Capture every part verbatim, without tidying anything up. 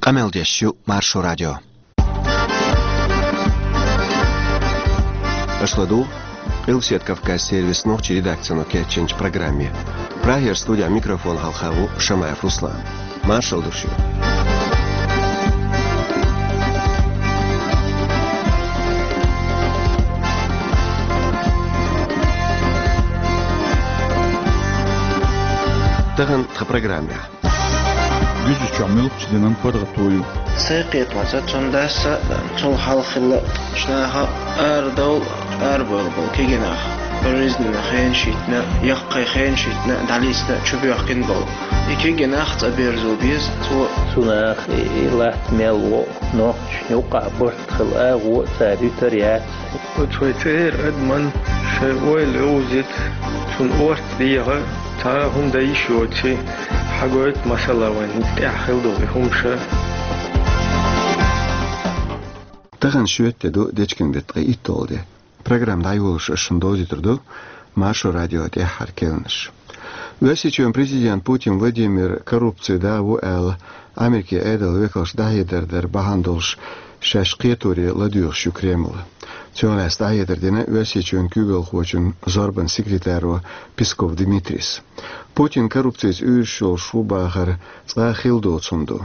Къамел деш ю Маршо радио. Аша ладугӀу Къилбаседа Кавказан сервисан нохчийн редакцино кечйинчу программе. Прагера студехь микрофон хьалха ву Шамаев Руслан. Маршалла ду шуьга. Тахана тхан программехь. Гуьржийчохь муьлххачу динан паргӀато ю. Сайн кхетамца, цуьнан дас а, цул хьалха хилла, наха арадовла, арабевлла болу кегий нах, пожизненный хенаш йитина, яккхий хенаш йитина, дӀалийцина, чубоьхкина болу. И кегий нах цӀа берзо беза, цо. Цу наха и, и латта мел ло, нохчашна юккъахь барт хила агӀо а цара юьтур яц. Оцу вай цӀера адаман шайн ойла йовзийта, цунна орца деха, цхьа а хӀума дан йиш йоций, хьагойту масала вайн тӀехь хила долу и хӀумаш. Тахана шоьтан де ду, дечкен беттан ткъе итталгӀа де. Программа дӀайолош ас шуна довзуьйтур ду Маршо радион тӀаьххьара керланаш. Оьрсийчоьнан президент Путин Владимир коррупцин да ву аьлла, Америкин Ӏедалан векалш дӀахьедар дар бахьана долуш шаьш кхеторе ладоьгӀуш ю Кремль. Цунах лаьцна дӀахьедар дина Оьрсийчоьнан куьйгалхочун зорбанан секретаро Песков Дмитрийс. Путин коррупцица уьйраш йолуш ву бахар цкъа а хилла доцу хӀума ду.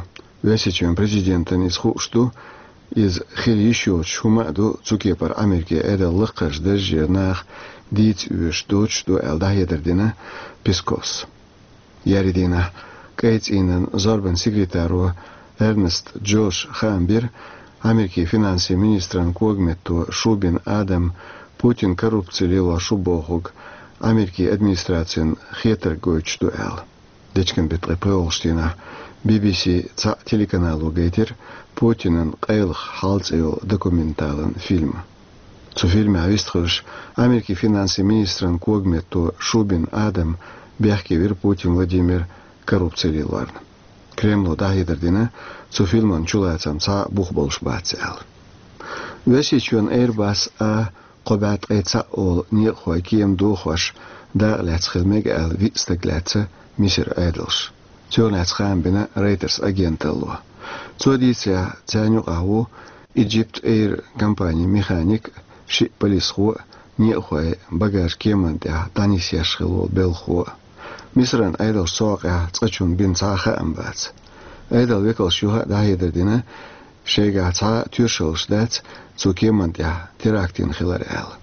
Оьрсийчоьнан президентана иза хууш ду, иза хила йиш йоцуш хӀума а ду, цу кепара Америкин Ӏедалан лакхарчу даржера наха дийца оьшуш доцуш ду аьлла дӀахьедар дина Песковс. Еарин дийнахь кӀайн цӀийнан зорбанан секретаро Эрнст Джоша хаам бира Америкин финансийн министран когаметто Шубин Адама Путин коррупци лелош ву бохург Америкин администрацина хетарг гойтуш ду аьлла. Дечкен беттан ткъе пхоьалгӀачу дийнахь Би-Би-Си цхьаъ телеканало гайтира Путинан «Къайлаха хьал» цӀе йолу документалан фильм. Цу фильмехь вистхуьлуш, Америкин финансийн министран когаметто Шубин Адама бехке вира Путин Владимир коррупци лелорна. Кремло дӀахьедар дина, цу фильман чулацам цхьа а бух болуш бац аьлла. Оьрсийчоьнан Airbus А кхо бӀе ткъе цхьаъ олу некъахойн кема дохош дакъа лаьцна хила мега аьлла виъ стаг лаьцна Мисар Ӏедалша. Цунах лаьцна хаам бина Reuters агенталло. Цо дийцарехь, царна юкъахь ву Egypt Air компанин механик, шиъ полисхо а, некъахойн багаж кеманна тӀехь дӀанисъеш хилла волу белхахо а. Мисаран Ӏедалша цу хьокъехь цкъачунна бина цхьа а хаам бац. Ӏедалан векалша юха а дӀахьедар дина, шайгахь цхьа а тоьшаллаш дац цу кеманна тӀехь теракт йина хилар аьлла.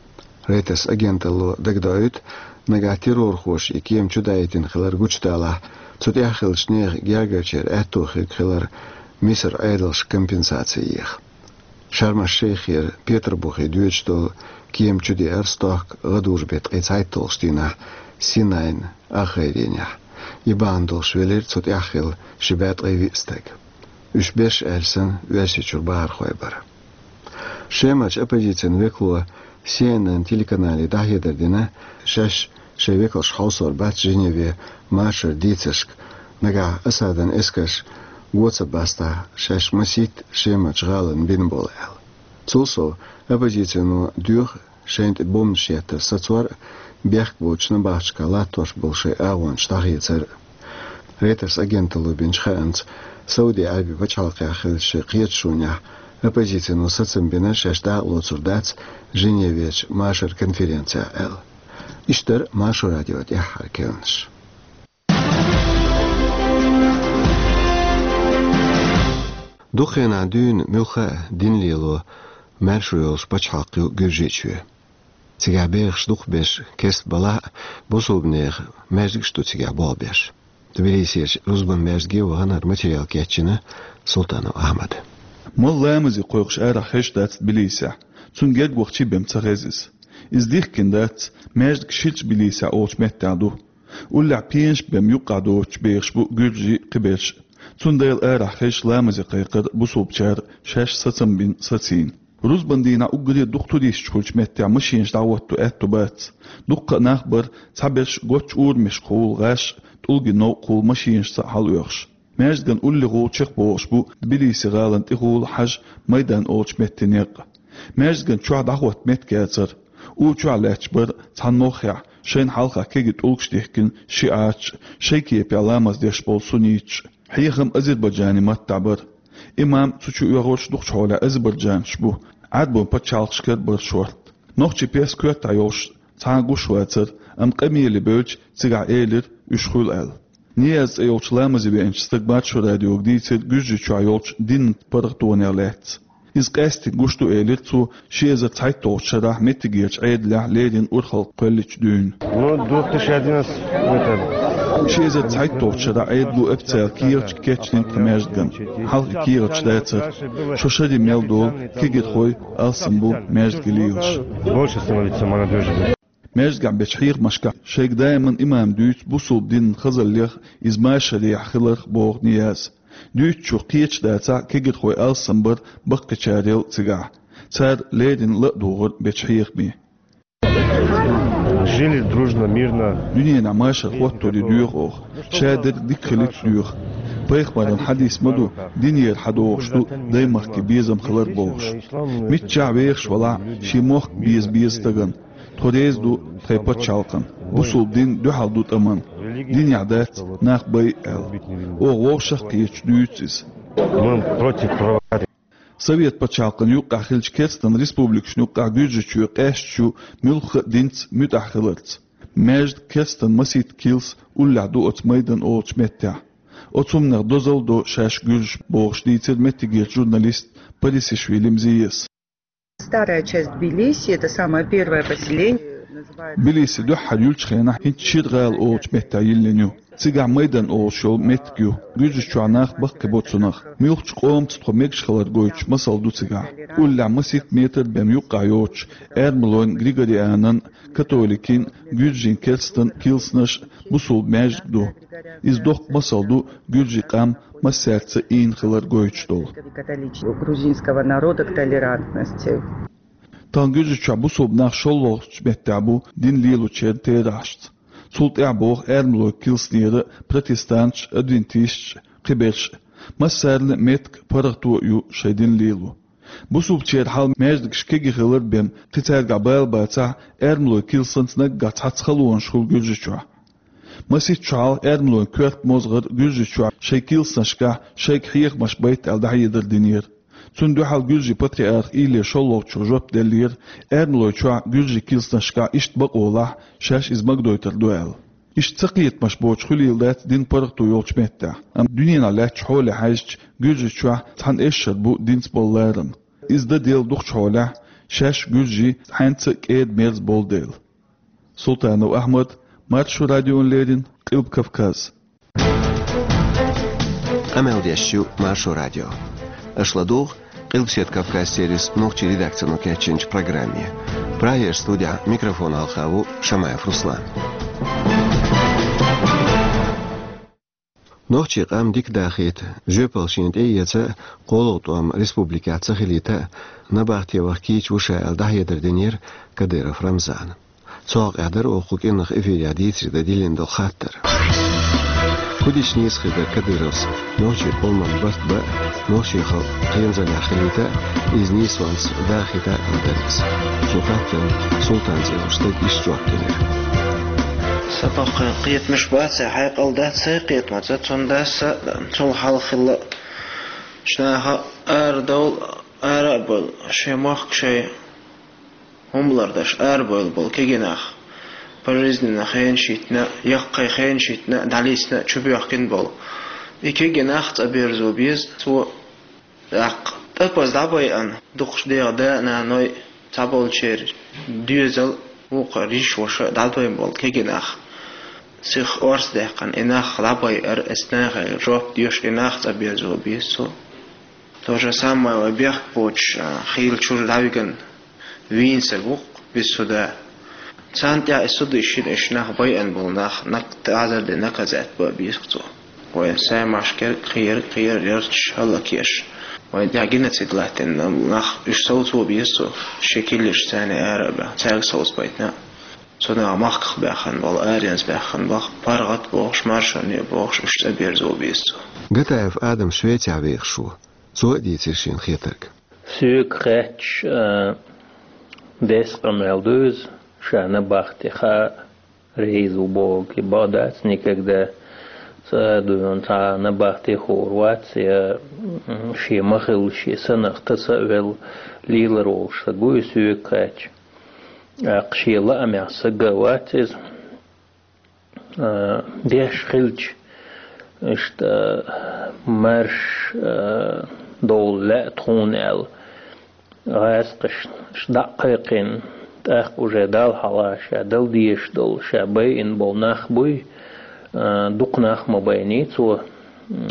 Reuters агенталло дагадоуьйту, нагахь террорхоша и кема чудаийтина хилар гучудалахь, цу тӀехь хиллачу нехан гергарчеран аьтто хирг хилар Мисар Ӏедалша компенсаци еха. Шарм-аш-Шейхера Петарбухе доьдуш долу кема чудеара стохка гӀадужу беттан ткъе цхьайтталгӀачу дийнахь Синайн ахайренехь. И бахьана долуш велира цу тӀехь хилла ши бӀе ткъе виъ стаг. Уьш берш аьлла санна, Оьрсийчуьра бахархой бара. Шемарчу оппозицин векало Си Эн Эн телеканале дӀахьедар дина, шаьш шайн векалш хьовсор бац Женеве машаран дийцаршка, нагахь Асадан эскарш го ца бастахь, шаьш масийтта Шемарчу гӀаланна бина болу аьлла. Цул сов, оппозицино доьху шайна тӀе бомбанаш еттар сацор а, бехк боцуш набахташкахь латтош болу шайн агӀончаш дӀахецар а. Reuters агенталло бинчу хаамца, Сауди Ӏаьрбийн пачхьалкхехь хиллачу шайн кхеташонехь оппозицино сацам бина шаьш дакъалоцур дац Женевечу машаран конференцехь аьлла. Иштта дара Маршо радион тӀаьххьара керланаш. Дукха хенахь дуьйна муьлхха а дин лело маьршо йолуш пачхьалкх ю Гуьржийчоь. Цигахь бехаш дукхахберш керста балахь а, бусулбанехан маьждигаш ду цигахь болх беш. Тбилисерчу рузбан маьждиге вахана хӀара материал кечйина Султанов Ахьмада. Молла ламазе кхойкхуш арахь хезаш дац Тбилисехь, цунна герга вахчий бен ца хеза иза. Иза дихкина дац, маьждиг Ширча Тбилисехь олучу меттехь ду. Уллехь пенаш бен юккъехь доцуш бехаш бу гуьржий а, кхиберш а. Цундела арахь хезаш ламазе кхайкхира бусулбачара, шаьш сацам бина сацийна. Рузбан дийнахь уггаре дукха туристаш хуьлучу меттехь машенаш дӀахӀотто аьтто бац. Дуккха а нах бара, цхьаберш гоччу урамашкахула гӀаш а, тӀулгийн новкъахула машенашца а хьалаоьхуш. Маьждиган уллехула чекхбохуш бу Тбилиси гӀалан тӀехула хьажа майдан олучу меттан некъ. Маьждиган чохь дӀахӀотта меттиг яцара. У чохь лаьтташ бара цхьана моххехь, шайна хьалха кегий тӀулгаш дихкина шиӀаташ а, шайн кепехь ламаз деш болу сунниташ а. Хьехам азербайджанийн маттахь бара. Имам цу чу оьгӀорш дукхачу хьолехь азербайджанцаш бу, Ӏаьрбойн пачхьалкхашкара бара шорта. Нохчийн пес коьртахь йолуш цхьа а гуш вацара, амма къамеле бевлча цигахь элира, уьш хуьлу аьлла. Нияз цӀе йолчу ламазе веанчу стага Маршо радиога дийцира Гуьржийчохь йолчу динан паргӀатонех лаьцна. Иза къаьсттина гуш ду, элира цо, ши эзар цхьайтталгӀачу шарахь меттигерчу Ӏедалехь леррина урхалла кхоьллинчу дуьйна. Ну, две тысячи одиннадцать, это... Ши эзар цхьайтталгӀачу шарахь Ӏедало официалан кехаташ кечдина тхан маьждигана. Хьалха и кехаташ дацара. Шо шаре мел долу кегирхой алсам бу маьждиге лелаш. Больше становится молодёжи. Маьждигехь бечу хьехамашкахь шайга даиман имам дуьйцу бусулба динан хазаллех, иза машарехь хиларх, боху Нияз. Дуьйцучух кхеташ дацахь, кегирхой алсам бара баккхийчарел цигахь. Цара леррина ла а дугӀура бечу хьехаме. Жили дружно, мирно. Дуьненахь машар хӀоттор ю доьху оха. Шадерг дика хилийта доьху. Пайхамаран хьадис ма ду, динера хьадогӀуш ду даймахке безам хилар бохуш. Миччахь вехаш валахь, шен мохк беза беза стагана. Тхо реза ду тхайн пачхьалкхана. Бусулба дин дуьхьал ду тӀаман. Динехь дац нах байа аьлла. Оха вовшах а кхеташ дуьйцу иза. Мы против провокаций. Совет пачхьалкхана юккъехь хиллачу керстан республикашна юккъехь Гуьржийчоь къаьсташ ю муьлхха а динца муьтӀахь хиларца. Маьждиг, керстан масийтта килс уллехь ду оцу Майдан олучу меттехь. Оцу хӀуманех дозалла до шаьш гуьржаш, бохуш, дийцира меттигерчу журналиста Парисишвили Мзияс. Старая часть Тбилиси, это самое первое поселение, называется... Тбилиси дуьххьара юьллучу хенахь хӀинца Шира гӀала олучу меттехь йиллина ю. Цигахь Майдан олуш йолу меттиг ю. Гуьржийчохь нах баккхий бу цунах. Муьлххачу къомаца тхо мегаш хилар гойтуш масал ду цигахь. Уллехь масийтта метр бен юккъехь йоцуш Эрмалойн Григорианан, католикийн, гуьржийн, керстан килсанаш, бусулба маьждиг ду. Иза доккха масал ду гуьржийн къам массаьрца ийна хилар гойтуш долу. Грузинского народа к толерантности. Тахана Гуьржийчохь бусулба нах шолгӀачу меттехь бу дин лелочеран терахьашца. Цул тӀаьхьа боху Эрмалойн килснера протестанташ, адвентисташ, кхиберш. Массарна а меттиг, паргӀато а ю шайн дин лело. Бусулбачеран хьал маьждигаш кегий хилар бен, кхин цаьргахь бала бацахь, Эрмалойн килсанца наггахь цхьацца халонаш хуьлу Гуьржийчохь. Масийтта шо хьалха Эрмалойн коьрта мозгӀар Гуьржийчохь шайн килсанашкахь шайга хьехамаш байта аьлла дӀахьедар динера. Цунна дуьхьал гуьржийн патриарха Илия шолгӀачо жоп деллера, Эрмалойчохь гуьржийн килсанашкахь иштта бакъо лахь, шаьш иза магадойтур ду аьлла. Иштта цакхетамаш боцуш хуьлийла дац дин паргӀато йолчу меттехь, амма дуьненахь лаьттачу хьоле хьаьжча, Гуьржийчохь цхьана эшшара бу динца болу ларам. Иза дан делла дукхачу хьолехь, шаьш гуьржий хьаьнца а кӀеда-мерза болу дела. Султанов Ахьмад, Маршо радиона леррина, Къилба Кавказ. Къамел деш ю Маршо радио. Аша ладугӀу Къилбаседа Кавказ сервисан нохчийн редакцино кечйинчу программе. Прагера студехь микрофон хьалха ву Шамаев Руслан. Нохчийн къам дика дахийта, жоьпалла шена тӀеэца, кхоалгӀа тӀом республикехь ца хилийта, набахте ваха кийча ву ша аьлла дӀахьедар динера Кадыров Рамзана. Цу хьокъехь дара оха кху кӀиранах эфирехь дийцаре дан диллина долу хаттар. ХӀун дича нийса хир дара Кадыровс нохчийн къоман барт бан а, нохчийн халкъ кхерамзаллехь хилийта а, иза нийсонца дахийта а аьлла дара иза. Цу хаттарна Султан цӀе йолчу стага иштта жоп делира. Сан баккхий кхетамаш бац, хьекъал дац сайн кхетамца, цундела аса цул хьалха хилла, шаьш наха арадовла, ара а бовла, шайн мохк шайн хӀума лардеш арабевлла болу кегий нах, пожизненно хенаш йитина, яккхий хенаш йитина, дӀалийцина, чубоьхкина болу. И кегий нах цӀа берзо беза, цо тӀаккха тӀапаза дӀабайъина, дукхачу дегӀан да а, наной а, цхьаболчеран доьзал а, вукхара йиша-ваша а дӀадойна болу кегий нах. Сиха орца даьккхина, и нах дӀабайъар, эцу нахе жоп доьшу, и нах цӀа берзо беза цо. То же самое вай бехк боцуш, а, хийла чуьра дӀавигна вийна стаг ву-кх, бисуда. Царна тӀехь и суд йиш йина, уьш нах байъина болу нах, нак-, тазар де наказать бан беза-кх цо. Вайн саймашкара кхера, кхера ярташ, хӀаллакъеш. Вайн тӀехь геноцид латтийна нах, уьш совцо беза цо, шен килсанашца царна ара а баьхна, цаьрга совцабайтина. Цу наха махках баьхна болу, аренца баьхна болу, паргӀат бохуш, маршонне бохуш, уьш цӀа берзо беза цо. Гатаев Адам Швецехь вехаш ву. Цо а дийцира шен хетарг. Соьга хаьттича, а, деза къамел ду иза, ша набахте хаа реза ву бохург, и бакъ дац, никогда Ца дуьйна цхьа набахте хуур вац, я, м, шен ма-хиллара, шен санах таса а велла, лелар волуш стаг ву и соьга кхаьчча. ТӀаккха шен лаамехь стаг а вац иза. А, деш хилча, иштта, а, маьрша, а, довла лаьа тхуна аьлла, гӀазкхашна дӀа а кхайкхина, тӀаккха уже Далла хьалха ша дала дезаш долу, ша байина болу нах буй, а, дукха нах ма байний цо, м,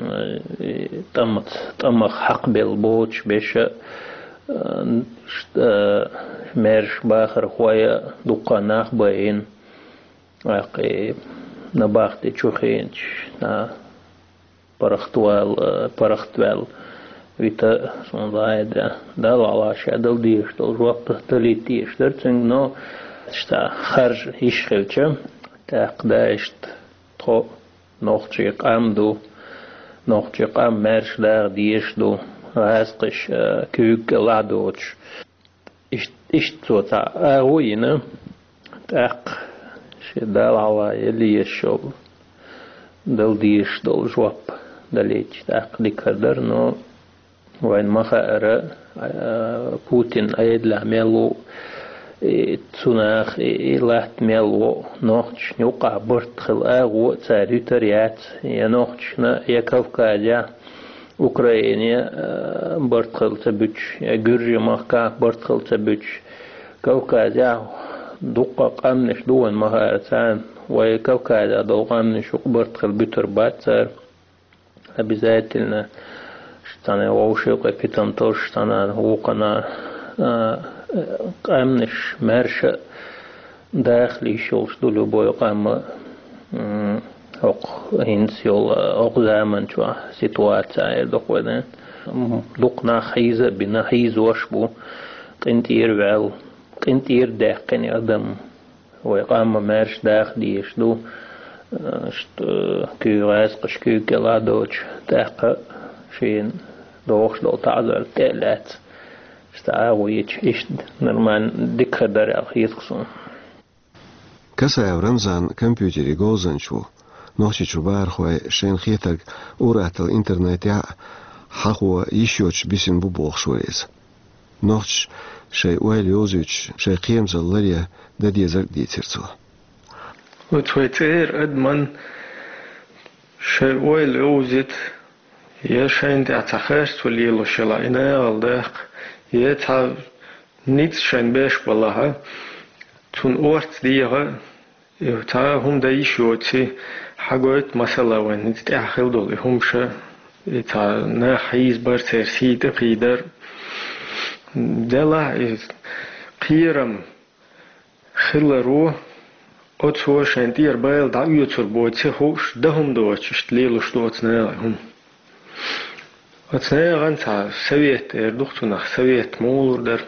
и тӀамаца, тӀамах хьакхабелла боцуш беша, а, ш-, а, маьрша бахархой а дуккха нах байина. ТӀаккха и набахте чу хиъначу, а, паргӀатвал-, паргӀатваьлла вита, суна лаьа да, Далла хьалха ша дала дезаш долу жоп далийта дезаш дара цуьнга, но иштта харжа йиш хилча, тӀаккха да иштта тхо нохчийн къам ду, нохчийн къам маьрша даха дезаш ду, гӀазкхаша, а, куьйга кӀел а доцуш. Ишт-, иштта цо цхьа агӀо а йина, тӀаккха шен Далла хьалха яла езаш йолу, дала дезаш долу жоп далийча, тӀаккха дика хир дара, но вайна ма хаьара, а, Путин Ӏедалехь мел ву, и цу наха, и, и латта мел ву, нохчашна юкъахь барт хила агӀо а цара юьтур яц, я нохчашна, я Кавказехь, Украине, а, барт хила ца буьтуш, я Гуьржийн махкахь барт хила ца буьтуш, Кавказехь дуккха къаьмнаш ду вайна ма хаьара царна, вай Кавказехь долу къаьмнаш юкъа барт хила буьтур бац цара. Обязательно, цхьана вовшийн кху питомцаш, цхьана вукхана, а, къаьмнаш маьрша а даха йиш йолуш ду любой къам а, м, хӀокху хӀинца йолу, хӀокху заманчохь ситуаци эр ду-кх вайна. М, дукха нах хьийза а бина, хьийзош а бу, къинтӀера ваьлла, къинтӀера даьккхина адам. Вай къам а маьрша даха дезаш ду, а, ш-, куьйга гӀазкхаша куьйга кӀел а доцуш, тӀаккха шена догӀуш долу таӀзар тӀе а лаьцна, ша цхьа агӀо йича, иштта нормально дика хир дара аьлла хета-кх суна. Касаев Рамзан компьютерийн говзанча ву. Нохчийчу бахархой шайна хетарг ур-атталла интернетехь а хьахо йиш йоцуш бисина бу бохуш вара иза. Нохчаша шайн ойла йовзуьйтуш, шайн кхерамзалла ларъян дан дезарг а дийцира цо. Оцу вай цӀера адаман шайн ойла йовзийта, я шайна тӀехь цхьа харцо лелош ялахь, и нахала даккха, я цхьа ницкъ шайна беш балахь, цунна орца деха, и цхьа а хӀума дан йиш йоций, хьагойту, масала, вайн хӀинца тӀехь хила долу и хӀумаш, и цхьа нах хьийзабар, церан сий тӀе кхийдар. Делахь и кхерам хиларо, оцо шайн тӀера байла дӀаоьцур боций хууш, дан хӀума доцуш, иштта лелош ду оцу наха и хӀума. Оцу нахана цхьа совет эр ду-кх цунах, совет муха лур дара.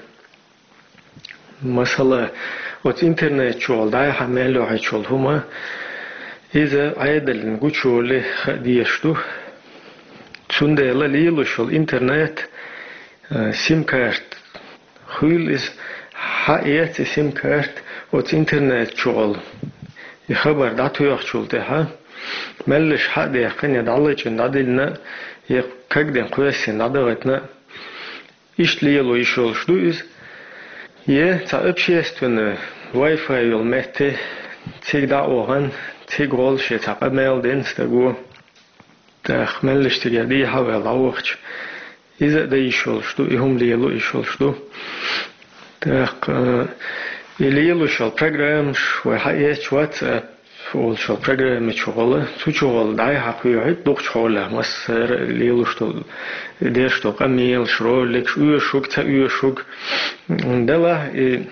Масала, оцу интернет чухула дӀай-хьа мел йохьуьйтуш йолу хӀума, иза Ӏедална гучуйолале хаа дезаш ду. Цундела лелош йолу интернет, э, сим-карта хуьлу иза, хьаэца и сим-карта оцу интернет чухула. И хабар дӀатоьхначул тӀаьхьа, меллаша хьа а даьккхина, я дӀалачкъина дӀадиллина, я кагдина кхоьссина дӀадахийтина, иштта лело йиш йолуш ду иза. Я цхьа общественный Wi-Fi йолу метте цига дӀа а вахана, цига гӀолла шен цхьа къамел дина стаго. ТӀаккха меллаша цигара дехьа а ваьлла дӀавахча, иза а дан йиш йолуш ду, и хӀума лело йиш йолуш ду. ТӀаккха, э, и лелош йолу программаш, вай хьаэцча WhatsApp олуш йолу программа чухула, цу чухула дӀай-хьа кхоьхьуьйту дукхачу хьолехь, массара а лелош долу, деш долу къамелаш, роликаш, оьшург, ца оьшург. Делахь и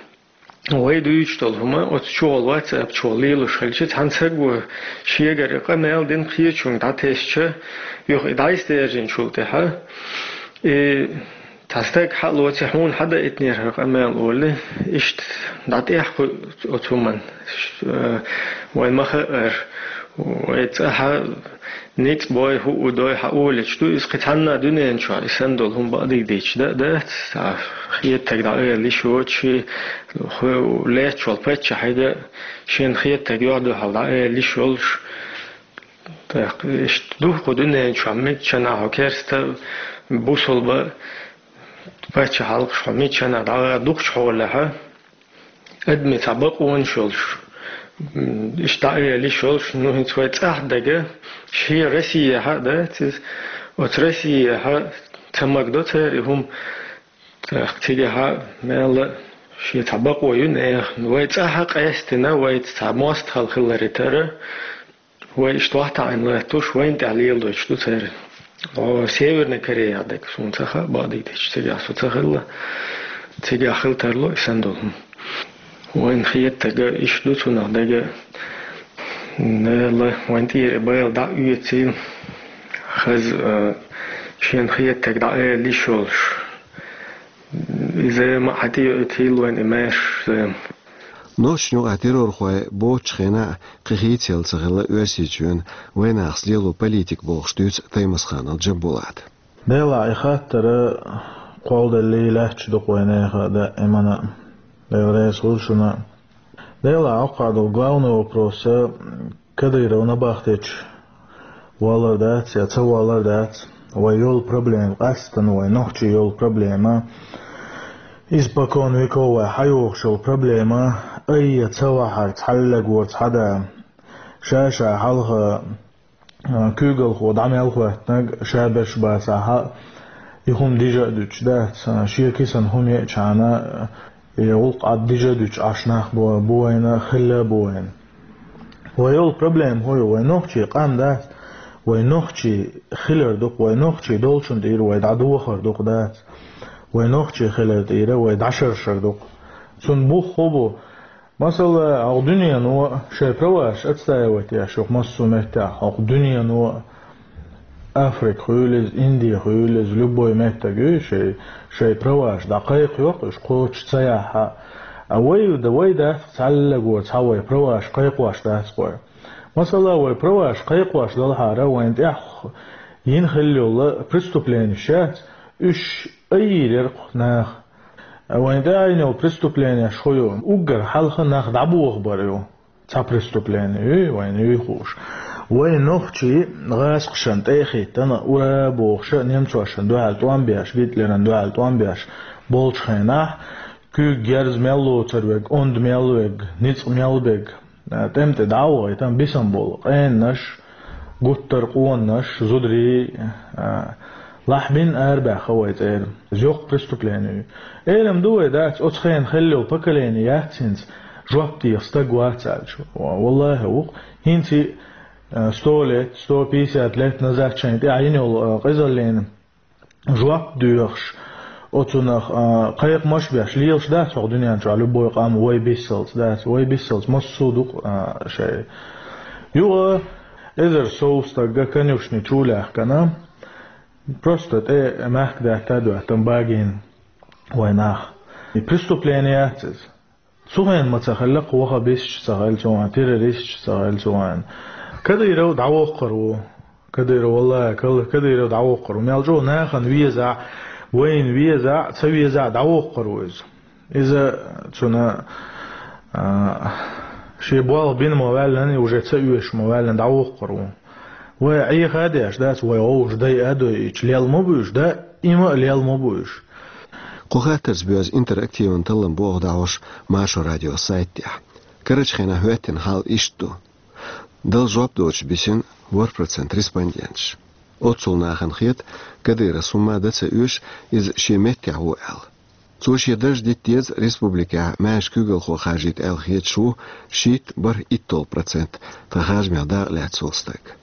вай дуьйцуш долу хӀума оцу чухула, WhatsApp чухула лелош хилча, цхьана саго шегара къамел дина кхечуьнга дӀатесча, юха и дӀасадаьржинчул тӀаьхьа, и цхьа стаг хьа а лоций, хьуна хьадаийтинера хӀара къамел олий, иштта дӀатӀехь кхуьу оцу хӀуманна. Вайн ма хаьара, вай цӀа хьа ницкъ бой, хӀуъу дой хьа олуьйтуш ду, иза кхин цхьанна а дуьнен чохь и санна долу хӀума бакъдерг дийцича дан а дац, цхьа хетаг дӀаала йиш йоцуш, хӀу лаьтташ волу паччахьига шена хетаг юьхь-дуьхьал дӀаала йиш йолуш, Так, иштта ду кху дуьнен чохь миччанахь хьо керста, бусулба, паччахьалкхаш хьо миччанахь дӀагӀа дукхачу хьолехьа, адамийн цхьа бакъонаш йолуш, м, иштта дӀаэла йиш йолуш, ну, хӀинца вай цӀахь дага, шен Россияхьа а дац иза, оцу Россияхьа ца магадо цара и хӀума, тӀаккха цигахьа мелла шен цхьа бакъо ю нехан. Вай цӀахьа къаьстина, вайца цхьа мостагӀалла хиларе тара, вай иштта вахтаӀийна латтуш, вайна тӀехь леладойтуш ду цара. О, Северная Корея дерг, суна ца хаьа, бакъдерг дийцича, цигахь со ца хилла, цигахь хила тарло и санна долу хӀума. Вайна хетарг иштта ду цунах дага, Дала вайн тӀера и байла дӀа а оьцийла, хаза, а, шена хетарг дӀа а эла йиш йолуш. Иза ма хьан тӀе йоуьйтийла вайн и маьрша зама. Нохчийн юкъахь террорхой боцучу хенахь кхин хийцаелла ца хилла Оьрсийчоьнан вайнахаца лело политика, бохуш дуьйцу Таймасханов Джамбулата. Делахь и хаттар кхолладаллий лаьтташ ду-кх вайнехан а, даимана а. Дела реза хуьлда шуна. Делахь, хӀокху хьокъехь долу главный вопрос, Кадыров набахтечу валар дац я ца валар дац, вай йолу проблема, къаьсттина вай нохчийн йолу проблема, испокон веков вай хьайогӀуш йолу проблема, айхьа ца вахьара цхьаллаг вара цхьа да, ша-ша хьалха, а, куьйгалхо дӀа мел хӀоьттинарг, ша берш бацахь а, и хӀума дижа а дуьтуш дац, а, шен кисана хӀума еачхьана, а, и гӀуллакх Ӏад дижа а дуьтуш Ӏаш нах бу, бу вайна, хилла а бу вайна. Вай йолу проблема хӀун ю? Вай нохчийн къам дац, вай нохчий хилар ду-кх, вай нохчий долчун тӀера вай дӀадохар ду-кх дац, вай нохчий хилар тӀера вай дӀашаршар ду-кх. Цунна бух хӀун бу? Масала, хӀокху дуьнено шайн праваш отстаивать еш ю-кх массо а меттехь, хӀокху дуьнено, Африка хуьлийла иза, Инди хуьлийла иза, любой меттиг ю, шайн, шайн праваш дӀакхайкхайо-кх уьш кхочуш ца яхь а. А вай, вай дац-кх цхьаллаг вара цхьа вай праваш кхайкхош дац-кх вай. Масала, вай праваш кхайкхош далахьара, вайна тӀехь йина хилла йолу преступленеш яц, уьш айийр яра-кх наха. Вайна тӀехь йина йолу преступленеш хӀун ю? Уггар хьалха нах дӀабохабар ю. Цхьа преступлени ю, вайна юй хууш. Вай нохчий гӀазкхашна тӀе а хӀиттина, ура бохуша, немцошна дуьхьал тӀом беш, Гитлерна дуьхьал тӀом беш болчу хенахь, куьйга герз мел лоцур верг, онда мел верг, ницкъ мел берг, а, тӀем тӀе дӀа а вахийтина, бисам болу къенанаш, гуттар а къонанаш, зударий, а, лахьбина арабаьхна вай цӀера. Иза йоккха преступлени ю. Элам ду вай дац, оцу хенахь хилла йолу поколени яц хӀинца, жоп деха стаг вац аьлча. Ва-, валлахӀи, ву-кх. ХӀинца, а, сто лет, сто пятьдесят лет назад шайна тӀехь йина йолу, а, къизаллина жоп доьхуш, оцунах, а, кхайкхамаш а беш, лелаш дац хӀокху дуьнен чохь любой къам вай биссалц дац, вай биссалц массо а ду-кх, а, шайн. Юха эзар сов стаг конюшни чу лаьхкина, просто тӀе мехкан даьтта а доьттина багийна вай нах. И преступлени яц иза. Цу хенахь ма ца хилла-кх ваххабисташ ца хилла цу хенахь, террористаш ца хилла цу хенахь. Кадыров дӀавоккхур ву. Кадыров, валлахӀи, Кал-, Кадыров дӀавоккхур ву. Мел чӀогӀа нахана везахь, вайна везахь, ца везахь, дӀавоккхур ву иза. Иза цуьнан, а, шен болх бина ма ваьллина, и уже ца оьшуш ма ваьллина, дӀавоккхур ву. Вай Ӏеха а деш дац, вай вовшах дайа а дойъуьйтуш, лелла ма буьйш, даима а лелла ма буьйш. Кху хаттарца боьзна интерактиван таллам богӀу дӀахьош Маршо радион сайта тӀехь. Карарчу хенахь хӀоьттина хьал иштта ду. Дала жоп доцуш бисина ворхӀ процент респонденташ. Оццул нахана хета, Кадыровс хӀумма а дан ца оьшу, иза шен меттехь ву аьлла. Цо шен дарж дита деза республикехь маьрша куьйгалхо харжийта аьлла хеташ ву шийтта бархӀ итталгӀа процент, тхан харжамех дакъа лаьцна волу стаг.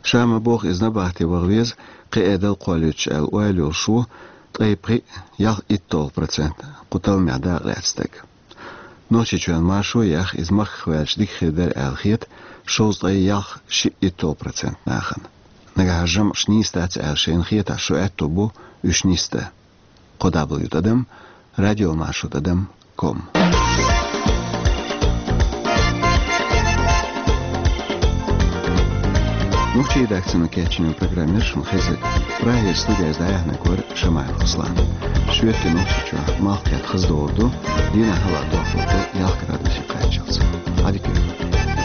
Ша ма боху иза набахте ваха веза, кхин а дала кхоллуьйтуш аьлла ойла йолуш ву ткъе пхиъ ялх итталгӀа процент кху талламех дакъа лаьцна стаг. Нохчийчоьнан маршо а яьхна, иза махках ваьлча дика хир дара аьлла хета шовзткъе ялх шиъ итталгӀа процент нахана. Нагахь жамӀаш нийса дац аьлла шайна хетахь, шун аьтто бу уьш нисдан. Кхо дабл ю тӀадам радиомаршо тӀадам ком. Нохчийн редакцино кечйина программа яра шуна хезнарг. Прагера студехь дӀаяьхьнарг вара Шамаев Руслан. Шоьтан Нохчийчохь малх кхетта хаза догӀур ду, дийнахь хӀаваъ дохлур ду ялх градусе кхаччалц. Ӏадика йойла.